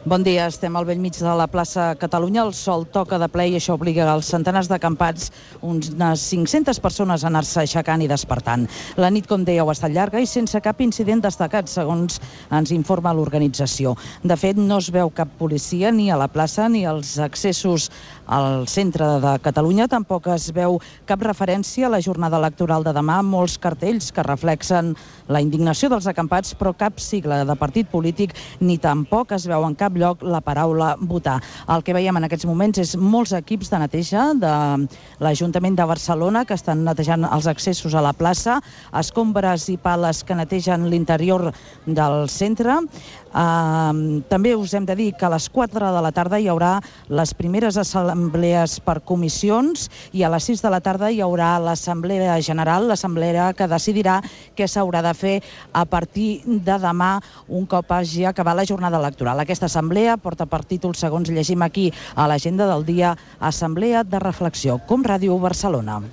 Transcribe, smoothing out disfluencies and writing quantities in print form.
Bon dia, estem al bell mig de la plaça Catalunya. El sol toca de ple i això obliga als centenars d'acampats, unes 500 persones, a anar-se aixecant i despertant. La nit, com dèieu, ha estat llarga i sense cap incident destacat, segons ens informa l'organització. De fet, no es veu cap policia ni a la plaça ni als accessos al centre de Catalunya. Tampoc es veu cap referència a la jornada electoral de demà. Molts cartells que reflexen la indignació dels acampats, però cap sigla de partit polític ni tampoc es veu en cap lloc la paraula votar. El que veiem en aquests moments és molts equips de neteja de l'Ajuntament de Barcelona que estan netejant els accessos a la plaça, escombres i pales que netegen l'interior del centre. També us hem de dir que a les 4 de la tarda hi haurà les primeres assemblees per comissions i a les 6 de la tarda hi haurà l'assemblea general, l'assemblea que decidirà què s'haurà de fer a partir de demà un cop hagi acabat la jornada electoral. Aquesta assemblea porta per títol, segons llegim aquí a l'agenda del dia, Assemblea de Reflexió, com Ràdio Barcelona.